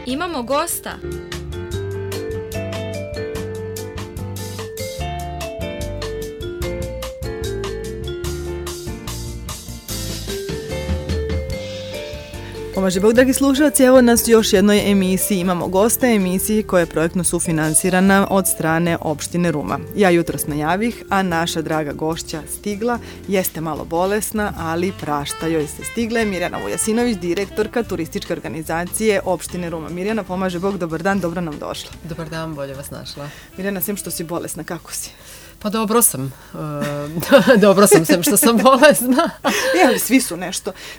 Imamo gosta. Pomaže Bog, dragi slušalci, evo nas u još jednoj emisiji. Imamo gosta emisiji koja je projektno sufinansirana od strane opštine Ruma. Ja jutros najavih, a naša draga gošća stigla, jeste malo bolesna, ali prašta joj se stigla. Mirjana Vujasinović, direktorka turističke organizacije opštine Ruma. Mirjana, pomaže Bog, dobar dan, dobro nam došla. Dobar dan, bolje vas našla. Mirjana, sem što si bolesna, kako si? Pa dobro sam. Dobro sam, sem što sam bolesna. Ali svi su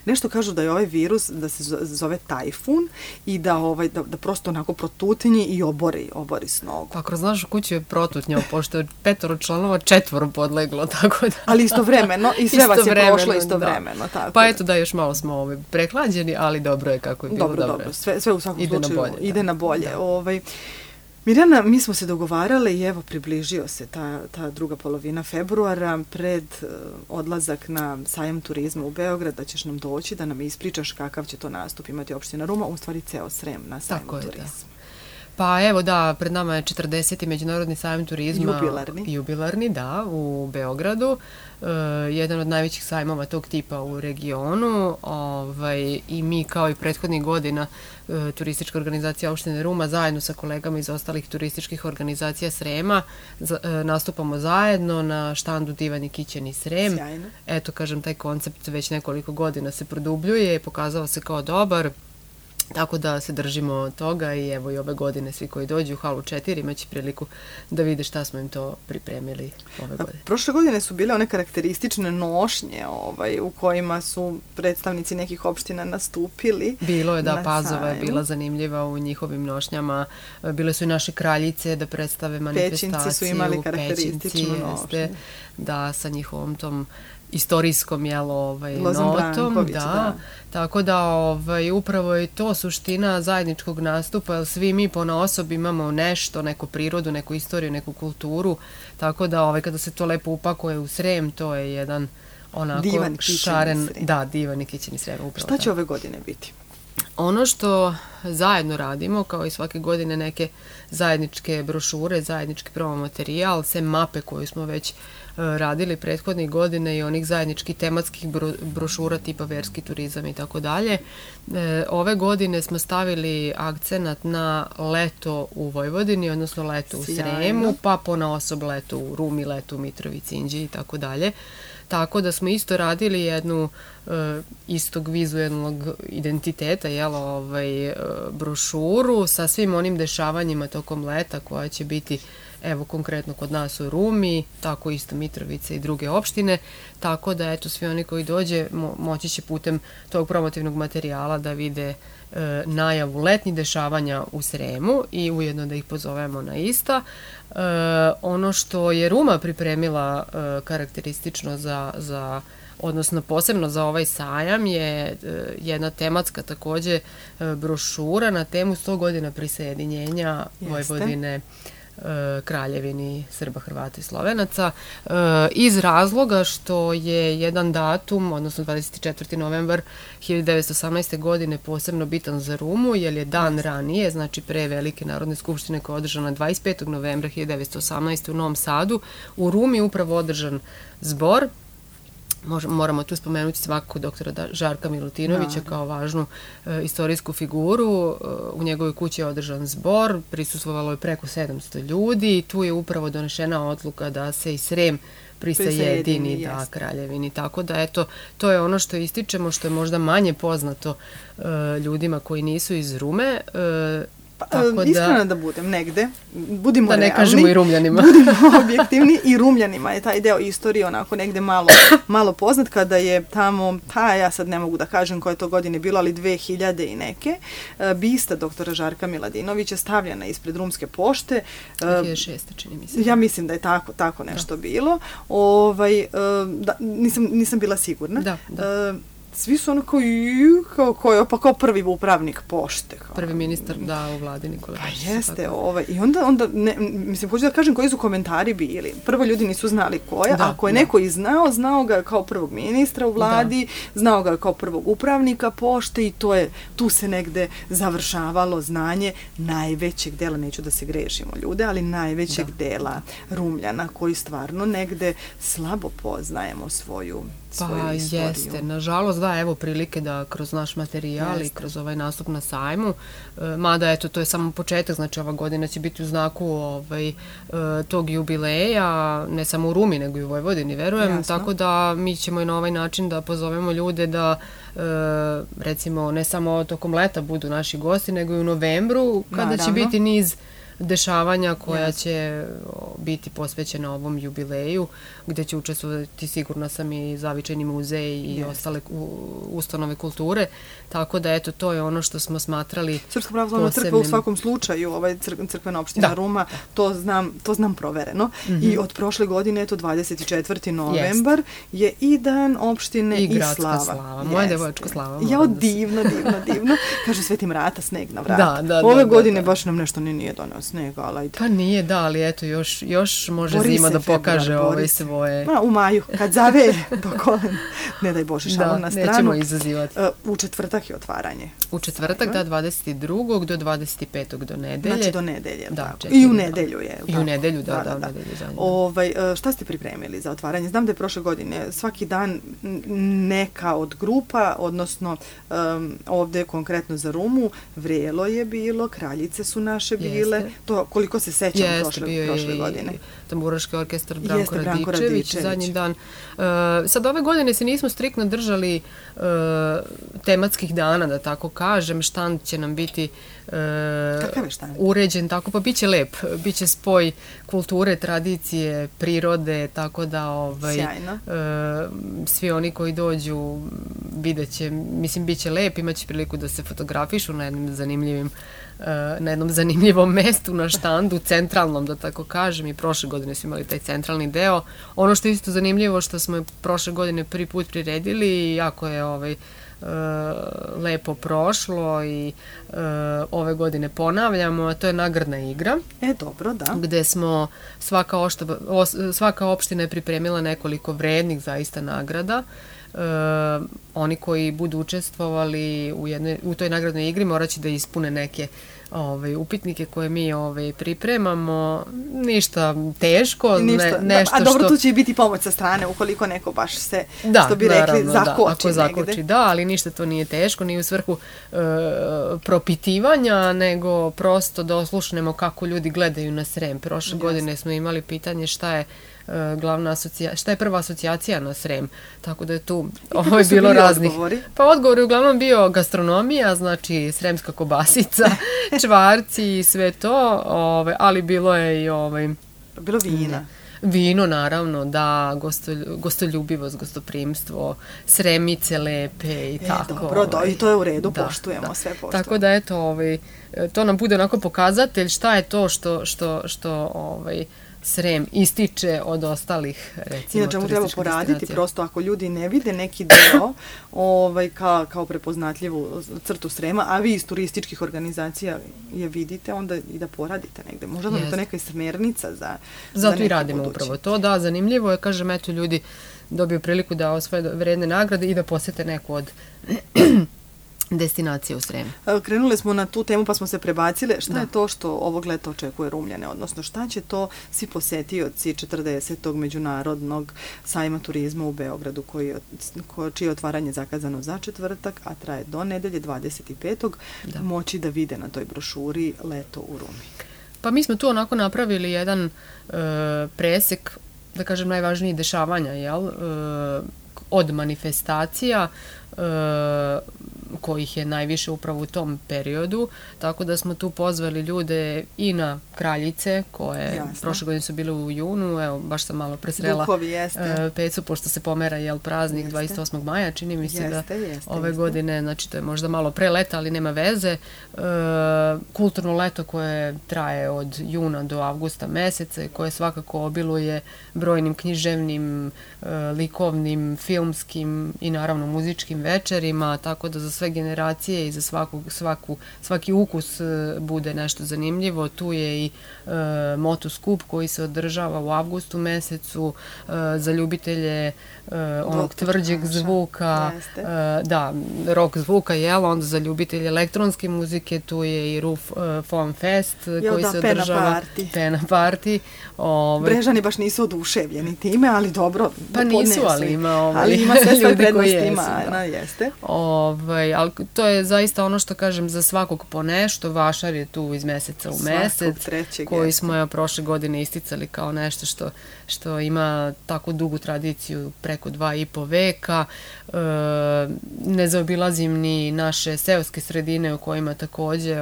nešto kažu da je ovaj virus, da se zove tajfun i da prosto onako protutinji i obori s nogu. Pa kroz našu kuću je protutnjao, pošto je 5 članova 4 podleglo, tako da... Ali istovremeno, i sve vas je prošlo istovremeno. Tako pa eto da, još malo smo prehlađeni, ali dobro je kako je bilo. Dobro. Sve u svakom slučaju ide na bolje. Mirjana, mi smo se dogovarale i evo približio se ta druga polovina februara pred odlazak na sajam turizma u Beograd, da ćeš nam doći, da nam ispričaš kakav će to nastup imati opština Ruma, u stvari ceo Srem na sajmu turizma. Pa evo da, pred nama je 40. Međunarodni sajam turizma. Jubilarni, da, u Beogradu. Jedan od najvećih sajmova tog tipa u regionu i mi kao i prethodnih godina turistička organizacija opštine Ruma zajedno sa kolegama iz ostalih turističkih organizacija Srema nastupamo zajedno na štandu Divan i Kićeni Srem. Sjajno. Eto, kažem, taj koncept već nekoliko godina se produbljuje i pokazao se kao dobar. Tako da se držimo toga i evo i ove godine svi koji dođu u halu 4 imaće priliku da vide šta smo im to pripremili ove godine. Prošle godine su bile one karakteristične nošnje u kojima su predstavnici nekih opština nastupili. Bilo je, da, Pazova je bila zanimljiva u njihovim nošnjama. Bile su i naše kraljice da predstave manifestaciju. Pećinci su imali karakterističnu nošnju. Da, sa njihovom tom istorijskom notom, da. Tako da upravo je to suština zajedničkog nastupa, jer svi mi ponaosob imamo nešto, neku prirodu, neku istoriju, neku kulturu, tako da kada se to lepo upakuje u Srem, to je jedan onako šaren, da, divan i kićeni Srem. Šta će ove godine biti? Ono što zajedno radimo, kao i svake godine, neke zajedničke brošure, zajednički promo materijal, sem mape koju smo već radili prethodnih godine i onih zajedničkih tematskih brošura tipa verski turizam i tako dalje. Ove godine smo stavili akcenat na leto u Vojvodini, odnosno leto u Sremu, pa ponaosob leto u Rumi, leto u Mitrovici, Inđiji i tako dalje. Tako da smo isto radili jednu istog vizualnog identiteta, brošuru sa svim onim dešavanjima tokom leta koja će biti, evo konkretno kod nas u Rumi, tako isto Mitrovice i druge opštine, tako da eto svi oni koji dođe moći će putem tog promotivnog materijala da vide najavu letnjih dešavanja u Sremu i ujedno da ih pozovemo na ista. Ono što je Ruma pripremila karakteristično odnosno posebno za ovaj sajam je jedna tematska takođe brošura na temu 100 godina prisajedinjenja Vojvodine Kraljevini Srba, Hrvata i Slovenaca, iz razloga što je jedan datum, odnosno 24. novembar 1918. godine posebno bitan za Rumu, jer je dan ranije, znači pre Velike narodne skupštine koja je održana 25. novembra 1918. u Novom Sadu, u Rumi upravo održan zbor. Moramo tu spomenuti svakako doktora Žarka Milutinovića kao važnu istorijsku figuru. U njegovoj kući je održan zbor, prisustvovalo je preko 700 ljudi i tu je upravo donešena odluka da se i Srem prisajedini Kraljevini. Tako da, eto, to je ono što ističemo, što je možda manje poznato ljudima koji nisu iz Rume. Iskreno da budem negde, budimo realni. Da ne kažemo i Rumljanima. Budimo objektivni i Rumljanima je taj deo istorije onako negde malo poznat kada je tamo, ja sad ne mogu da kažem koje to godine bilo, ali 2000 i neke, bista doktora Žarka Miladinovića stavljena ispred Rumske pošte. 2006. čini mi se. Ja mislim da je tako nešto bilo. Nisam bila sigurna. Da. svi su ono kao prvi upravnik pošte. Prvi ministar, u vladi Nikola Dačić. Pa jeste, i onda mislim, hoću da kažem koji su komentari bili. Prvo, ljudi nisu znali koja, ako je neko i znao ga kao prvog ministra u vladi, znao ga kao prvog upravnika pošte i tu se negde završavalo znanje najvećeg dela, neću da se grešimo ljude, ali najvećeg dela Rumljana koji stvarno negde slabo poznajemo svoju istoriju. Jeste, nažalost, evo prilike da kroz naš materijal i kroz ovaj nastup na sajmu, mada eto, to je samo početak, znači ova godina će biti u znaku tog jubileja, ne samo u Rumi, nego i u Vojvodini, verujem, tako da mi ćemo i na ovaj način da pozovemo ljude da recimo ne samo tokom leta budu naši gosti, nego i u novembru, kada će biti niz dešavanja koja će biti posvećena ovom jubileju, gde će učestvovati, sigurno sam, i Zavičajni muzej i ostale ustanove kulture, tako da eto, to je ono što smo smatrali Srpska pravoslavna crkva u svakom slučaju, crkvena opština Ruma, to znam provereno, i od prošle godine, eto 24. novembar je i dan opštine i slava. Moja devojačka slava. Jao, divno. Kažu Sveti Mrata, sneg na vrata. Ove godine baš nam nešto nije doneo snega, ali ajde. Pa nije, ali eto, još može zima da pokaže svoje... U maju, kad zave do kolen, ne daj Bože, šalom na stranu. Nećemo izazivati. U četvrtak je otvaranje. U četvrtak, 22. do 25. do nedelje. Znači do nedelje, tako. I u nedelju je. I u nedelju, da. Šta ste pripremili za otvaranje? Znam da je prošle godine svaki dan neka od grupa, odnosno ovde konkretno za Rumu, vrelo je bilo, kraljice su naše bile, to koliko se sećam prošle godine. Tamburaški orkestar Branko Radičević, zadnji dan. Sad ove godine se nismo striktno držali tematskih dana, da tako kažem. Štand će nam biti uređen, tako pa biće lep. Biće spoj kulture, tradicije, prirode, tako da svi oni koji dođu vidjet će, mislim, bit će lep, imaće priliku da se fotografišu na jednom zanimljivom mestu na štandu, centralnom, da tako kažem, i prošle godine smo imali taj centralni deo. Ono što je isto zanimljivo, što smo prošle godine prvi put priredili i jako je lepo prošlo i ove godine ponavljamo, a to je nagradna igra. Dobro, da. Gde smo, svaka opština je pripremila nekoliko vrednih zaista nagrada. Oni koji budu učestvovali u toj nagradnoj igri morat će da ispune neke upitnike koje mi pripremamo. Ništa teško. A dobro, tu će biti pomoć sa strane ukoliko neko baš se, što bi rekli, zakoči. Ako zakoči, ali ništa to nije teško, nije u svrhu propitivanja, ovo prosto da oslušnemo kako ljudi gledaju na Srem. Prošle godine smo imali pitanje šta je šta je prva asocijacija na Srem, tako da je tu bilo raznih. Pa odgovor je uglavnom bio gastronomija, znači sremska kobasica, čvarci i sve to, ali bilo je i bilo vina. Vino, naravno, da, gostoljubivost, gostoprimstvo, sremice lepe i tako. Dobro, i to je u redu, poštujemo, sve poštujemo. Tako da, eto, to nam bude onako pokazatelj šta je to što Srem ističe od ostalih, recimo, inače mu treba poraditi, prosto ako ljudi ne vide neki deo kao prepoznatljivu crtu Srema, a vi iz turističkih organizacija je vidite, onda i da poradite negde. Možda nam je to neka smernica za zato i radimo upravo to, da, zanimljivo je, kažem, eto, ljudi dobiju priliku da osvoje vredne nagrade i da posete neku od destinacije u Sremu. Krenuli smo na tu temu pa smo se prebacile. Šta je to što ovog leta očekuje Rumljane? Odnosno, šta će to svi posetioci 40. međunarodnog sajma turizma u Beogradu, čije je otvaranje zakazano za četvrtak, a traje do nedelje 25. moći da vide na toj brošuri Leto u Rumi? Pa mi smo tu onako napravili jedan presek, da kažem, najvažnijih dešavanja, od manifestacija, kojih je najviše upravo u tom periodu, tako da smo tu pozvali ljude i na Kraljice, koje prošle godine su bile u junu, evo, baš sam malo presrela Pecu, pošto se pomera praznik 28. maja, čini mi se da ove godine, znači to je možda malo pre leta, ali nema veze. Kulturno leto koje traje od juna do avgusta meseca, koje svakako obiluje brojnim književnim, likovnim, filmskim i naravno muzičkim velikim večerima, tako da za sve generacije i za svaki ukus bude nešto zanimljivo. Tu je i motoskup koji se održava u avgustu mesecu za ljubitelje onog tvrđeg zvuka, da, rock zvuka, onda za ljubitelje elektronske muzike tu je i Roof Foam Fest koji se održava. Pena party. Brežani baš nisu oduševljeni time, ali dobro. Pa nisu, ali ima sve ljudi koji jesu. Jeste. Ali to je zaista ono što kažem za svakog po nešto. Vašar je tu iz meseca u mesec, koji smo prošle godine isticali kao nešto što ima tako dugu tradiciju preko 2,5 veka. Ne zaobilazim ni naše seoske sredine u kojima takođe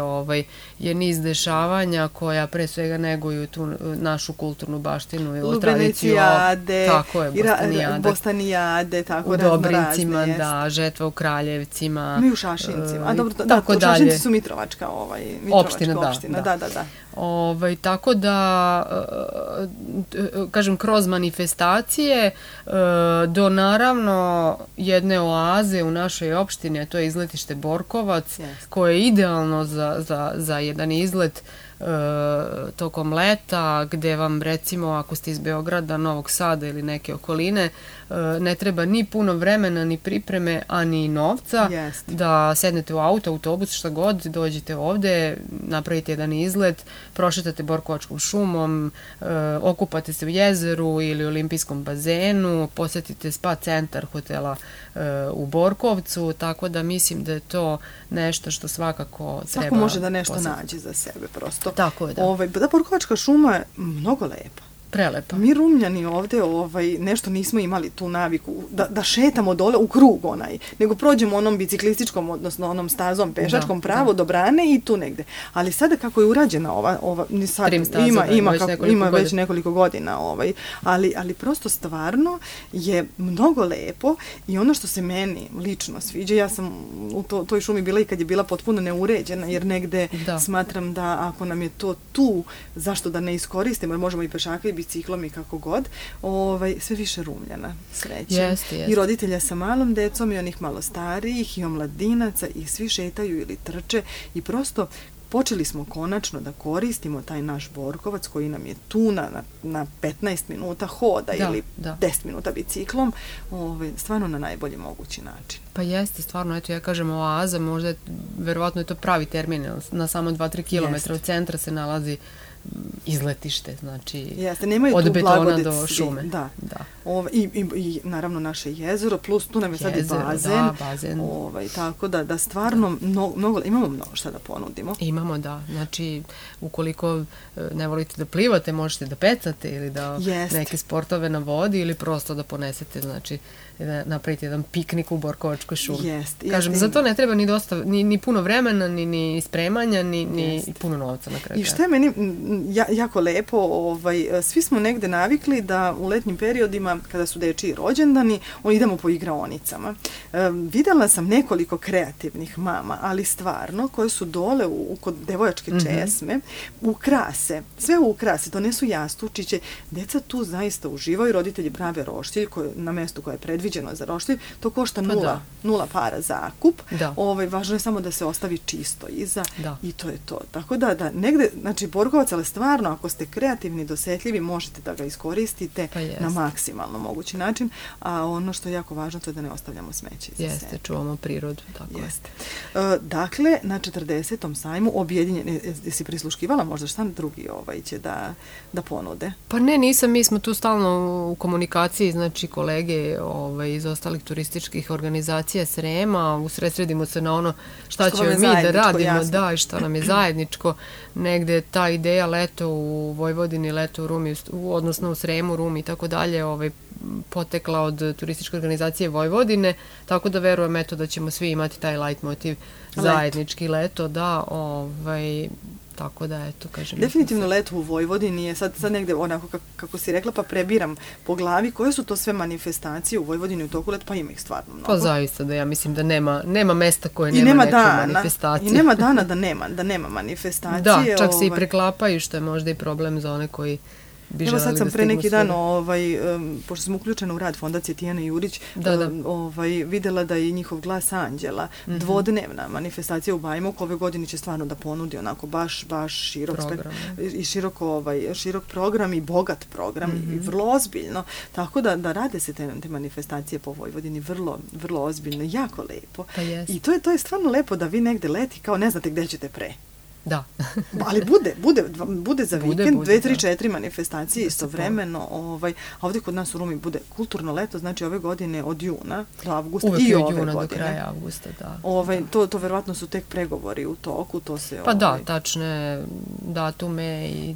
je niz dešavanja koja pre svega neguju tu našu kulturnu baštinu i tradiciju. Tako je, Bostanijade, tako u Dobrincima, da, žetva u Kraljevcima. Mi u Šašincima. Šašinci su Mitrovačka opština, da. Tako da, kažem, kroz manifestacije do naravno jedne oaze u našoj opštini, a to je izletište Borkovac, koje je idealno za jedan izlet tokom leta, gde vam recimo ako ste iz Beograda, Novog Sada ili neke okoline, ne treba ni puno vremena, ni pripreme, a ni novca, da sednete u auto, autobus, šta god, dođete ovde, napravite jedan izlet, prošetate Borkovačkom šumom, okupate se u jezeru ili olimpijskom bazenu, posetite spa centar hotela u Borkovcu, tako da mislim da je to nešto što svakako treba... Svako može da nešto nađe za sebe, prosto. Tako je, da. Da, Borkovačka šuma je mnogo lepa. Prelepa. Mi Rumljani ovde nešto nismo imali tu naviku da šetamo dole u krug nego prođemo onom biciklističkom, odnosno onom stazom pešačkom pravo do brane i tu negde. Ali sada kako je urađena ima već nekoliko godina, ali prosto stvarno je mnogo lepo i ono što se meni lično sviđa, ja sam u toj šumi bila i kad je bila potpuno neuređena, jer negde smatram da ako nam je to tu, zašto da ne iskoristimo, jer možemo i pešaka i biciklom i kako god, sve više Rumljana sreće. I roditelja sa malom decom i onih malo starijih i omladinaca i svi šetaju ili trče i prosto počeli smo konačno da koristimo taj naš Borkovac koji nam je tu na 15 minuta hoda ili 10 minuta biciklom, stvarno na najbolji mogući način. Pa jeste, stvarno, eto ja kažem oaza, možda verovatno je to pravi termin, na samo 2-3 km od centra se nalazi izletište, znači od betona do šume. Da. I naravno naše jezero, plus tu nam je sad i bazen. Tako da stvarno imamo mnogo šta da ponudimo. Imamo, da. Znači, ukoliko ne volite da plivate, možete da pecate ili da neke sportove na vodi ili prosto da ponesete, znači da napravite jedan piknik u Borkovačkoj šumi. Kažem, za to ne treba ni puno vremena, ni spremanja, ni puno novca na kraju. I što je meni jako lepo, svi smo negde navikli da u letnjim periodima, kada su dečiji rođendani, idemo po igraonicama. Videla sam nekoliko kreativnih mama, ali stvarno, koje su dole kod devojačke česme, ukrase, sve ukrase, donesu jastučiće, deca tu zaista uživaju, roditelji prave roštilj na mestu koje je predviđeno za roštilj, to košta nula para zakup, važno je samo da se ostavi čisto iza i to je to. Tako da negde, znači Borkovac, ali stvarno, ako ste kreativni, dosetljivi, možete da ga iskoristite na maksimalno mogući način, a ono što je jako važno to je da ne ostavljamo smeće iza sebe. Jeste, čuvamo prirodu, tako je. Dakle, na 40. sajmu objedinjeni, jesi prisluškivala možda šta drugi će da ponude? Pa ne, nisam, mi smo tu stalno u komunikaciji, znači kolege iz ostalih turističkih organizacija Srema, usredsredimo se na ono šta ćemo mi da radimo, i šta nam je zajedničko, negde ta ideja leto u Vojvodini, leto u Rumi, odnosno u Sremu, Rumi i tako dalje, potekla od turističke organizacije Vojvodine, tako da verujem da ćemo svi imati taj light motiv zajednički leto, tako da, eto, kažem. Definitivno leto u Vojvodini je sad negde onako, kako si rekla, pa prebiram po glavi, koje su to sve manifestacije u Vojvodini u toku leta, pa ima ih stvarno mnogo. Pa zaista da ja mislim da nema mesta koje nema neku manifestaciju. I nema dana da nema manifestacije. Da, čak se i preklapaju, što je možda i problem za one koji bi Evo želeli sad da sam pre stignu neki dan, svuda. pošto sam uključena u rad Fondacije Tijana Jurić, Da. videla da je njihov Glas anđela dvodnevna manifestacija u Bajmoku. Ove godine će stvarno da ponudi onako baš širok i širok program i bogat program i vrlo ozbiljno. Tako da rade se te manifestacije po Vojvodini vrlo, vrlo ozbiljno, jako lepo. Pa jest. I to je stvarno lepo da vi negde leti kao ne znate gde ćete pre. Da. Ali bude za vikend, 2, 3, 4 manifestacije istovremeno, a ovdje kod nas u Rumi bude kulturno leto, znači ove godine od juna do avgusta uvek i od ove juna godine. do kraja avgusta, da. To verovatno su tek pregovori u toku, to se... Pa da, tačne datume i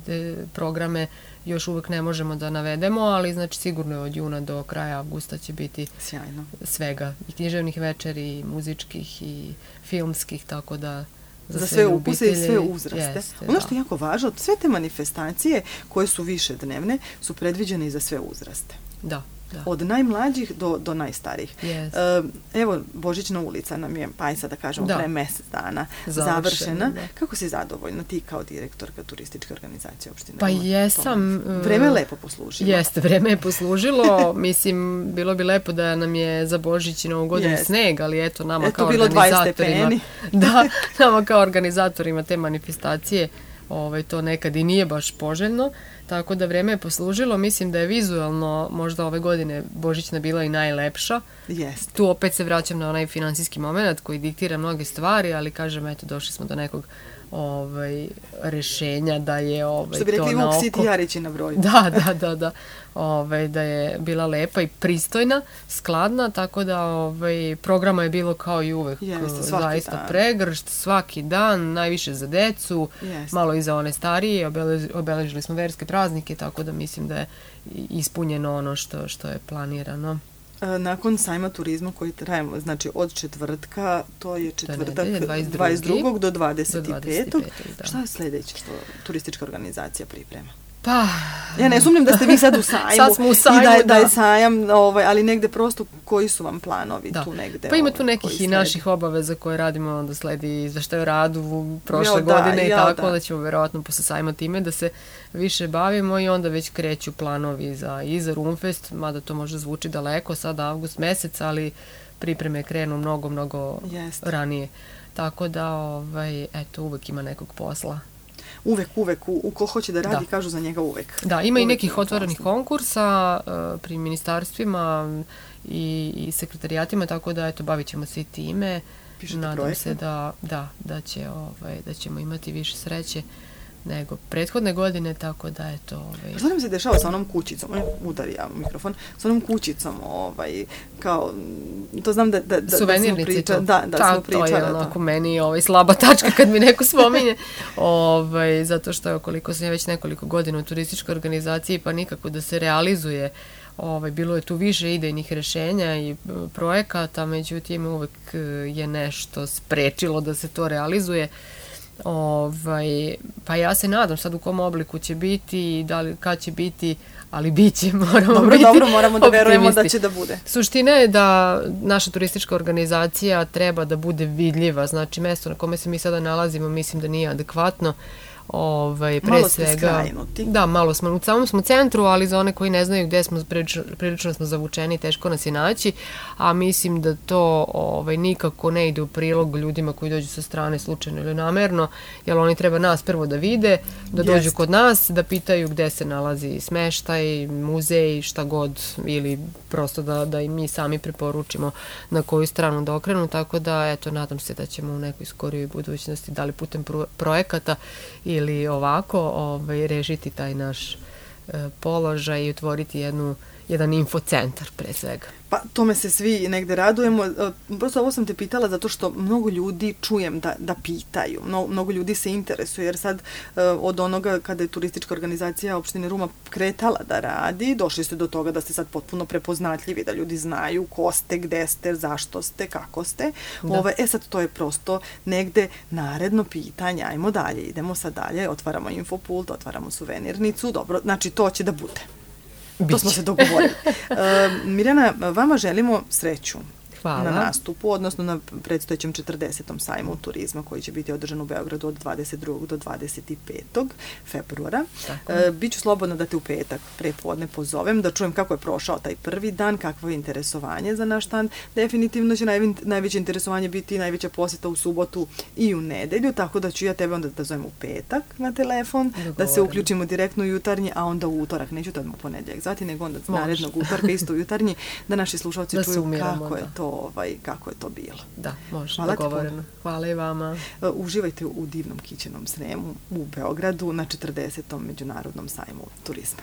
programe još uvek ne možemo da navedemo, ali znači sigurno je od juna do kraja avgusta će biti sjajno svega, i književnih večeri, i muzičkih, i filmskih, tako da za sve ukuse i sve uzraste. Ono što je jako važno, sve te manifestacije koje su više dnevne su predviđene i za sve uzraste. Da. Od najmlađih do najstarijih. Yes. Evo, Božićna ulica nam je, pa sad da kažemo, pre mesec dana završena. Da. Kako si zadovoljna ti kao direktorka turističke organizacije opštine? Pa jesam. Vreme je lepo poslužilo. Jeste, vreme je poslužilo. Mislim, bilo bi lepo da nam je za Božić i Novu godinu sneg, ali eto, nama kao organizatorima... Da, nama kao organizatorima te manifestacije to nekad i nije baš poželjno, tako da vreme je poslužilo. Mislim da je vizualno možda ove godine Božićna bila i najlepša. Jest. Tu opet se vraćam na onaj finansijski moment koji diktira mnoge stvari, ali kažem, eto, došli smo do nekog rešenja da je što bi rekli Vuk Siti Jarići na broju. Da. Da je bila lepa i pristojna, skladna, tako da programa je bilo kao i uvek. Zaista pregršt, svaki dan, najviše za decu, malo i za one starije, obeležili smo verske praznike, tako da mislim da je ispunjeno ono što je planirano. Nakon sajma turizma koji traje, znači od četvrtka, to je četvrtak 22. do 25. Šta je sledeće što turistička organizacija priprema? Pa... Ja ne sumnjam da ste vi sad u sajmu. Sad smo u sajmu, i da je sajam, ali negde prosto koji su vam planovi tu negde? Pa ima tu nekih i naših obaveza koje radimo, onda sledi izveštaj o radu prošle godine i tako, da ćemo verovatno posle sajma time da se više bavimo i onda već kreću planovi i za Rumfest, mada to možda zvuči daleko, sad avgust mesec, ali pripreme krenu mnogo ranije. Tako da, eto, uvek ima nekog posla. Uvek, ko hoće da radi, kažu za njega uvek. Da, ima i nekih otvorenih konkursa pri ministarstvima i sekretarijatima, tako da, eto, bavit ćemo se i time. Nadam se da ćemo imati više sreće nego prethodne godine, tako da, eto... Što nam se dešava sa onom kućicom? Udari ja mikrofon. Sa onom kućicom, kao... To znam da suvenirnici to. Da, smo pričali. To je onako meni slaba tačka kad mi neko spominje. Zato što, koliko sam ja već nekoliko godina u turističkoj organizaciji, pa nikako da se realizuje. Bilo je tu više idejnih rešenja i projekata, međutim, uvek je nešto sprečilo da se to realizuje. Pa ja se nadam sad u kom obliku će biti, kad će biti, ali bit će, moramo biti moramo da verujemo da će da bude. Suština je da naša turistička organizacija treba da bude vidljiva, znači mesto na kome se mi sada nalazimo mislim da nije adekvatno. Malo ste skrajnuti. Da, malo smo, u samom smo centru, ali za one koji ne znaju gde smo, prilično smo zavučeni, teško nas je naći, a mislim da to nikako ne ide u prilog ljudima koji dođu sa strane slučajno ili namerno, jer oni treba nas prvo da vide, da dođu kod nas, da pitaju gde se nalazi smeštaj, muzej, šta god, ili prosto da i mi sami preporučimo na koju stranu da okrenu, tako da, eto, nadam se da ćemo u nekoj skorijoj budućnosti, da li putem projekata ili ovako rešiti taj naš položaj i otvoriti jedan infocentar pre svega. Pa tome se svi negde radujemo. Prosto ovo sam te pitala zato što mnogo ljudi čujem da pitaju. Mnogo ljudi se interesuje jer sad od onoga kada je turistička organizacija opštine Ruma kretala da radi, došli ste do toga da ste sad potpuno prepoznatljivi, da ljudi znaju ko ste, gde ste, zašto ste, kako ste. Sad to je prosto negde naredno pitanje. Ajmo dalje, idemo sad dalje, otvaramo infopult, otvaramo suvenirnicu, dobro, znači to će da bude. To smo se dogovorili. Mirjana, vama želimo sreću. Hvala. na nastupu, odnosno na predstojećem 40. sajmu turizma koji će biti održan u Beogradu od 22. do 25. februara. Biću slobodna da te u petak prepodne pozovem, da čujem kako je prošao taj prvi dan, kakvo je interesovanje za naš stand. Definitivno će najveće interesovanje biti najveća poseta u subotu i u nedelju, tako da ću ja tebe onda da zovem u petak na telefon, da se uključimo direktno u jutarnji, a onda u utorak, neću da u ponedjeljak zati, nego onda narednog utorka isto u jutarnji, da naši slušalci čuju kako je to bilo. Da, može, dogovoreno. Hvala i vama. Uživajte u divnom kićenom Sremu u Beogradu na 40. međunarodnom sajmu turizma.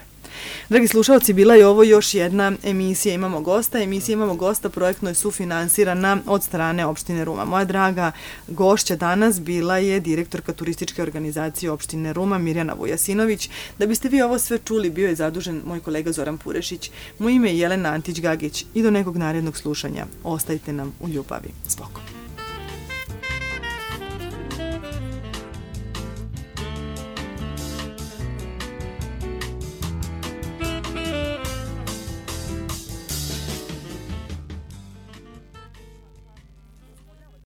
Dragi slušalci, bila je ovo još jedna emisija Imamo gosta. Emisija Imamo gosta projektno je sufinansirana od strane opštine Ruma. Moja draga gošća danas bila je direktorka turističke organizacije opštine Ruma, Mirjana Vujasinović. Da biste vi ovo sve čuli, bio je zadužen moj kolega Zoran Purešić. Moje ime je Jelena Antić-Gagić i do nekog narednog slušanja. Ostajte nam u ljubavi. S Bogom.